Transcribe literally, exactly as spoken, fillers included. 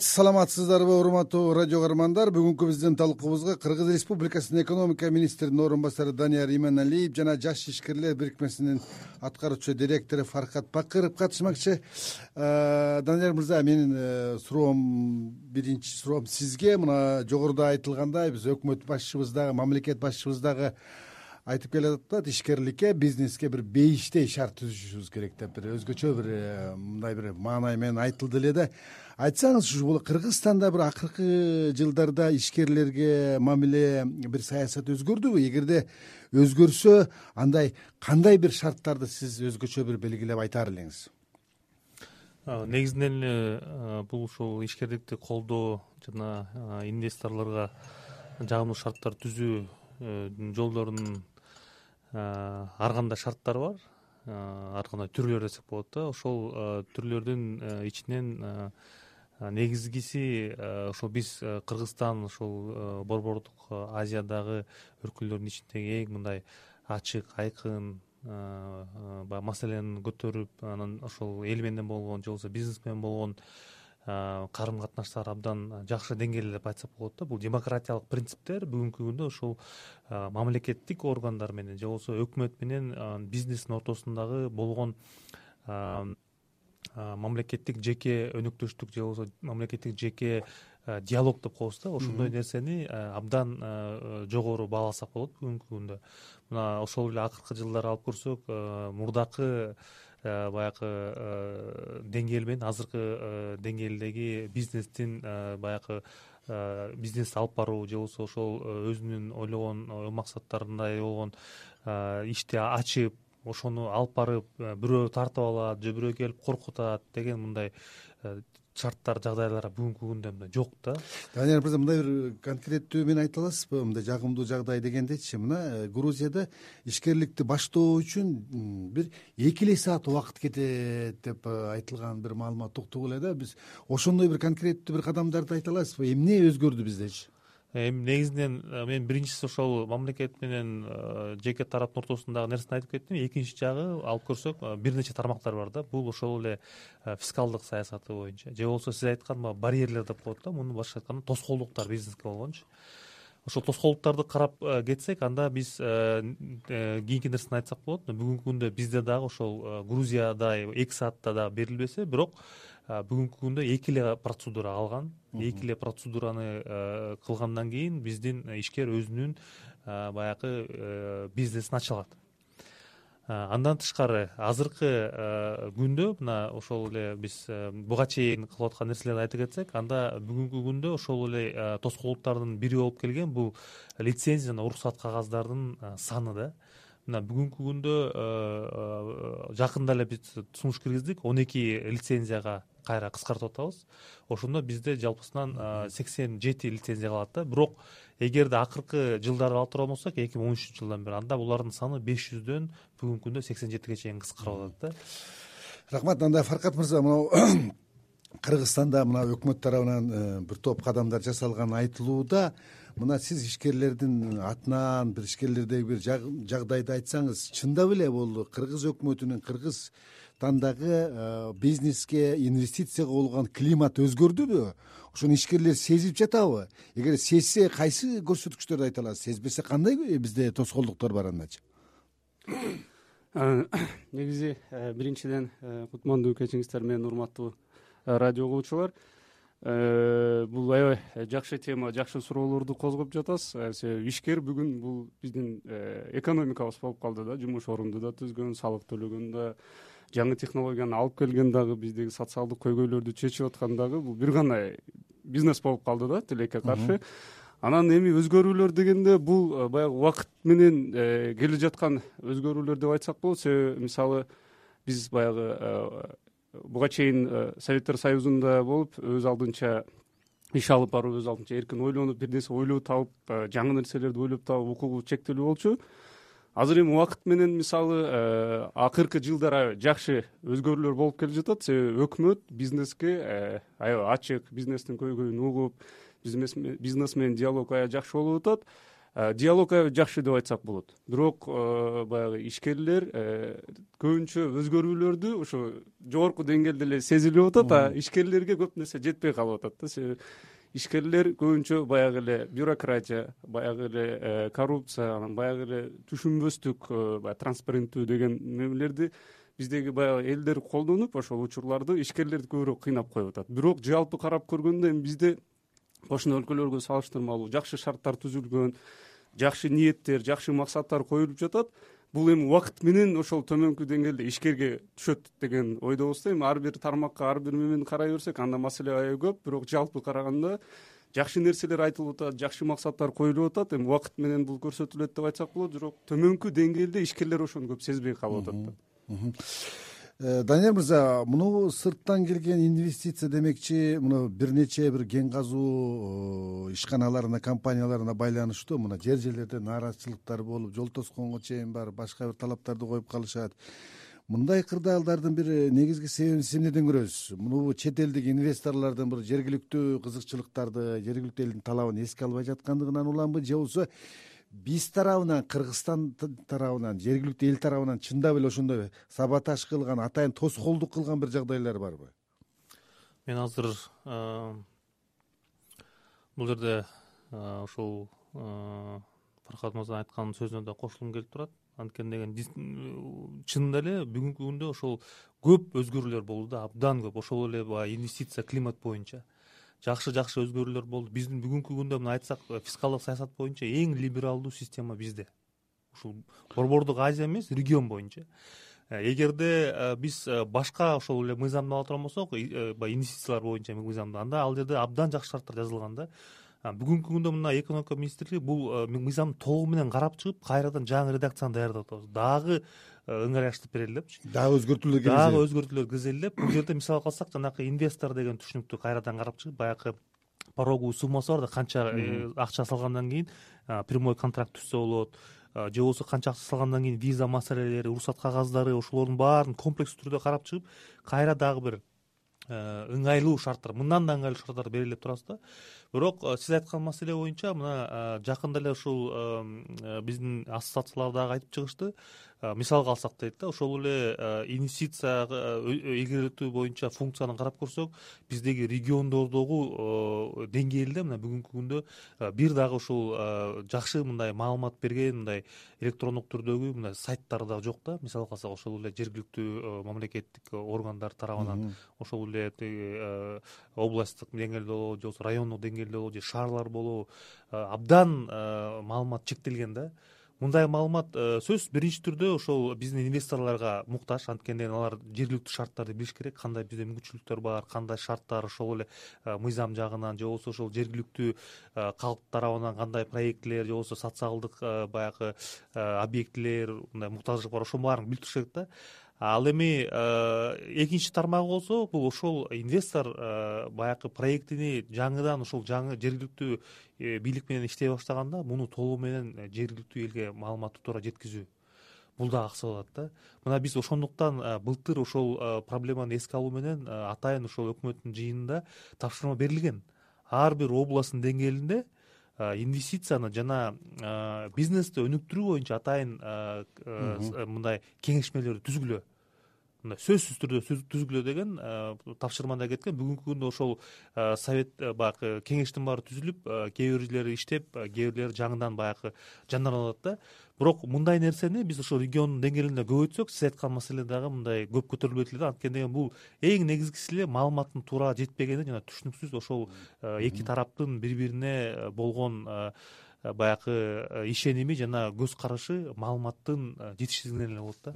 Саламатсыздарбы, урматтуу радио каармандар. Бүгүнкү биздин талкуубузга Кыргыз Республикасынын экономика министринин орун басары Данияр Иманалиев жана Жаш ишкерлер бирикмесинин аткаруучу директору Фаркат Бакыров катышмакчы. Данияр мырза, менин суроом, биринчи суроом сизге. Мына жогоруда айтылгандай, биз өкмөт башчыбыз дагы, мамлекет башчыбыз дагы айтып келатат, ишкерликке, бизнеске бир бейиштей шарт түзүшүбүз керек деп, бир өзгөчө бир мындай бир маанай менен айтылды эле да. Айтсаңыз, ушул Кыргызстанда бир акыркы жылдарда ишкерлерге мамиле, бир саясат өзгөрдүбү? Эгерде өзгөрсө, андай кандай бир шарттарды сиз өзгөчө бир белгилеп айтаар элеңиз? Негизинен эле бул ушул ишкерликти колдоо жана инвесторлорго жагымдуу шарттар түзүү жолдорунун ар кандай шарттары бар, ар кандай түрлөр десек болот да. Ошол түрлөрдүн ичинен негизгиси ошол биз Кыргызстан ушул Борбордук Азиядагы өлкөлөрдүн ичиндеги эң мындай ачык, айкын баягы маселени көтөрүп, анан ошол эл менен болгон же болбосо бизнес менен болгон карым катнаштар абдан жакшы деңгээлде деп айтсак болот да. Бул демократиялык принциптер бүгүнкү күндө ошол мамлекеттик органдар менен же болбосо өкмөт менен бизнестин ортосундагы болгон мамлекеттик жеке өнөктөштүк же болбосо мамлекеттик жеке диалог деп коебуз да. Ошондой нерсени абдан жогору бааласак болот бүгүнкү күндө. Мына ошол эле акыркы жылдары алып көрсөк, мурдакы баягы деңгээл менен азыркы деңгээлдеги бизнестин баягы бизнес алып баруу же болбосо ошол өзүнүн ойлогон максаттарындай болгон ишти ачып, ошону алып барып бирөө тартып алат же бирөө келип коркутат деген мындай шарттар, жагдайлар бүгүнкү күндө мындай жок да. Данияр мырза, мындай бир конкреттүү мен айта аласызбы? Мындай жагымдуу жагдай дегендечи, мына Грузияда ишкерликти баштоо үчүн бир эки эле саат убакыт кетет деп айтылган бир маалымат уктук эле да. Биз ошондой бир конкреттүү бир кадамдарды айта аласызбы? Эмне өзгөрдү биздечи? Эми негизинен мен биринчиси ошол мамлекет менен жеке тараптын ортосундагы нерсени айтып кеттим. Экинчи жагы алып көрсөк, бир нече тармактар бар да. Бул ошол эле фискалдык саясаты боюнча же болбосо сиз айткан барьерлер деп коет да. Муну башка айтканда тоскоолдуктар бизнеске болгончу. Ошол тоскоолдуктарды карап кетсек, анда биз кийинки нерсени айтсак болот. Бүгүнкү күндө бизде дагы ошол Грузиядай эки саатта да берилбесе, бирок бүгүнкү күндө эки эле процедура алган. Эки эле процедураны кылгандан кийин биздин ишкер өзүнүн баягы бизнесин ача алат. Андан тышкары азыркы күндө мына ошол эле биз буга чейин кылып аткан нерселерди айтып кетсек, анда бүгүнкү күндө ошол эле тоскоолдуктардын бири болуп келген бул лицензия жана уруксат кагаздардын саны да. Мына бүгүнкү күндө жакында эле биз сунуш киргиздик, он эки лицензияга кайра кыскартып атабыз. Ошондо бизде жалпысынан сексен жети лицензия калат да. Бирок эгерде акыркы жылдарды алып турган болсок, эки миң он үчүнчү жылдан бери, анда булардын саны беш жүздөн бүгүнкү күндө сексен жетиге чейин кыскарып атат да. Рахмат. Анда Фаркат мырза, мына Кыргызстанда мына өкмөт тарабынан бир топ кадамдар жасалганы айтылууда. Мына сиз ишкерлердин атынан бир ишкерлердеги бир жагдайды айтсаңыз, чындап эле бул Кыргыз өкмөтүнүн Кыргызстандагы бизнеске, инвестицияга болгон климат өзгөрдүбү? Ошону ишкерлер сезип жатабы? Эгер сезсе, кайсы көрсөткүчтөрдү айта аласыз? Сезбесе, кандай бизде тоскоолдуктар бар андачы? Негизи биринчиден кутмандуу кечиңиздер менен, урматтуу радио угуучулар. Бул аябай жакшы тема, жакшы суроолорду козгоп жатасыз. Себеби ишкер бүгүн бул биздин экономикабыз болуп калды да. Жумуш орунду да түзгөн, салык төлөгөн да, жаңы технологияны алып келген дагы, биздеги социалдык көйгөйлөрдү чечип аткан дагы бул бир гана бизнес болуп калды да, тилекке каршы. Анан эми өзгөрүүлөр дегенде бул баягы убакыт менен келе жаткан өзгөрүүлөр деп айтсак болот. Себеби мисалы биз баягы буга чейин Советтер Союзунда болуп, өз алдынча иш алып барып, өз алдынча эркин ойлонуп, бир нерсе ойлоп тауып, жаңы нерселерди ойлоп табып, укугу чектелүү болчу. Азыр эми убакыт менен мисалы акыркы жылдары жакшы өзгөрүүлөр болуп келе жатат. Себеби өкмөт бизнеске аябай ачык, бизнестин көйгөйүн угуп, бизнес менен диалог аябай жакшы болуп атат. диалог аябай жакшы деп айтсак болот, бирок баягы ишкерлер көбүнчө өзгөрүүлөрдү ошо жогорку деңгээлде эле сезилип атат, а ишкерлерге көп нерсе жетпей калып атат да. Себеби ишкерлер көбүнчө баягы эле бюрократия, баягы эле коррупция, анан баягы эле түшүнбөстүк, баягы транспаренттүү деген немелерди биздеги баягы элдер колдонуп, ошол учурларды ишкерлерди көбүрөөк кыйнап коюп атат. Бирок жалпы карап көргөндө эми бизде кошуна өлкөлөргө салыштырмалуу жакшы шарттар түзүлгөн, жакшы ниеттер, жакшы максаттар коюлуп жатат. Бул эми убакыт менен ошол төмөнкү деңгээлде ишкерге түшөт деген ойдобуз да. Эми ар бир тармакка, ар бир мемени карай берсек, анда маселе аябай көп, бирок жалпы караганда жакшы нерселер айтылып атат, жакшы максаттар коюлуп атат. Эми убакыт менен бул көрсөтүлөт деп айтсак болот, бирок төмөнкү деңгээлде ишкерлер ошону көп сезбей калып атат да. Данияр мырза, муну сырттан келген инвестиция демекчи, муну бир нече бир кен казуу ишканаларына, компанияларына байланыштуу. Мына жер жерлерде нааразычылыктар болуп, жол тосконго чейин бар, башка бир талаптарды коюп калышат. Мындай кырдаалдардын бир негизги себебин сиз эмнеден көрөсүз? Муну чет элдик инвесторлордун бир жергиликтүү кызыкчылыктарды, жергиликтүү элдин талабын эске албай жаткандыгынан уламбы, же болбосо биз тарабынан, Кыргызстан тарабынан, жергиликтүү эл тарабынан чындап эле ошондой саботаж кылган, атайын тоскоолдук кылган бир жагдайлар барбы? Мен азыр бул жерде ушул Фаркат мырзанын айткан сөзүнө да кошулгум келип турат. Анткени деген чынында эле бүгүнкү күндө ошол көп өзгөрүүлөр болду да, абдан көп. Ошол эле баягы инвестиция климат боюнча жакшы жакшы өзгөрүүлөр болду. Биздин бүгүнкү күндө мына айтсак, фискалдык саясат боюнча эң либералдуу система бизде. Ушул Борбордук Азия эмес, регион боюнча. Эгерде биз башка ошол эле мыйзамды ала турган болсок, баягы инвестициялар боюнча мыйзамды, анда ал жерде абдан жакшы шарттар жазылган да. Бүгүнкү күндө мына экономика министрлиги бул мыйзамды толугу менен карап чыгып, кайрадан жаңы редакцияны даярдап атабыз. Дагы ыңгайлаштырып берели депчи. Дагы өзгөртүүлөр киргизели. Дагы өзгөртүүлөр киргизели деп, бул жерде мисалга алсак, жанагы инвестор деген түшүнүктү кайрадан карап чыгып, баягы пороговый суммасы бар да, канча акча салгандан кийин прямой контракт түзсө болот, же болбосо канча акча салгандан кийин виза маселелери, уруксат кагаздары, ошолордун баарын комплекс түрдө карап чыгып, кайра дагы бир ыңгайлуу шарттар, мындан да ыңгайлуу шарттар берели деп турасыз да. Бирок сиз айткан маселе боюнча мына жакында эле ушул биздин ассоциациялар дагы айтып чыгышты. Мисалга алсак дейт да, ошол эле инвестицияга ийгиликтүү боюнча функцияны карап көрсөк, биздеги региондордогу деңгээлде мына бүгүнкү күндө бир дагы ушул жакшы мындай маалымат берген, мындай электрондук түрдөгү мындай сайттар да жок да. Мисалга алсак, ошол эле жергиликтүү мамлекеттик органдар тарабынан, ошол эле областтык деңгээлде болобу, же болбосо райондук деңгээлде болобу, же шаарлар болобу, абдан маалымат чектелген да. Мындай маалымат сөзсүз биринчи түрдө ошол биздин инвесторлорго муктаж, анткени алар жергиликтүү шарттарды билиш керек, кандай бизде мүмкүнчүлүктөр бар, кандай шарттар ошол эле мыйзам жагынан, же болбосо ошол жергиликтүү калк тарабынан кандай проектилер, же болбосо социалдык баягы объектилер, мындай муктаждык бар, ошонун баарын билип туруш керек да. Ал эми экинчи тармагы болсо, бул ошол инвестор баягы проектини жаңыдан ошол жаңы жергиликтүү бийлик менен иштей баштаганда, муну толугу менен жергиликтүү элге маалыматты туура жеткизүү, бул да аксы болот да. Мына биз ошондуктан былтыр ошол проблеманы эске алуу менен атайын ошол өкмөттүн жыйынында тапшырма берилген. Ар бир областтын деңгээлинде инвестицияны жана бизнести өнүктүрүү боюнча атайын мындай кеңешмелерди түзгүлө, мындай сөзсүз түрдө түзгүлө деген тапшырмада кеткен. Бүгүнкү күндө ошол совет баягы кеңештин баары түзүлүп, кээ бирлери иштеп, кээ бирлери жаңыдан баягы жанданып атат да. Бирок мындай нерсени биз ошол региондун деңгээлинде көбөйтсөк, сиз айткан маселе дагы мындай көп көтөрүлбөйт эле да. Анткени деген бул эң негизгиси эле маалыматтын туура жетпегени жана түшүнүксүз ошол эки тараптын бири бирине болгон баягы ишеними жана көз карашы маалыматтын жетишсиздигинен эле болот да.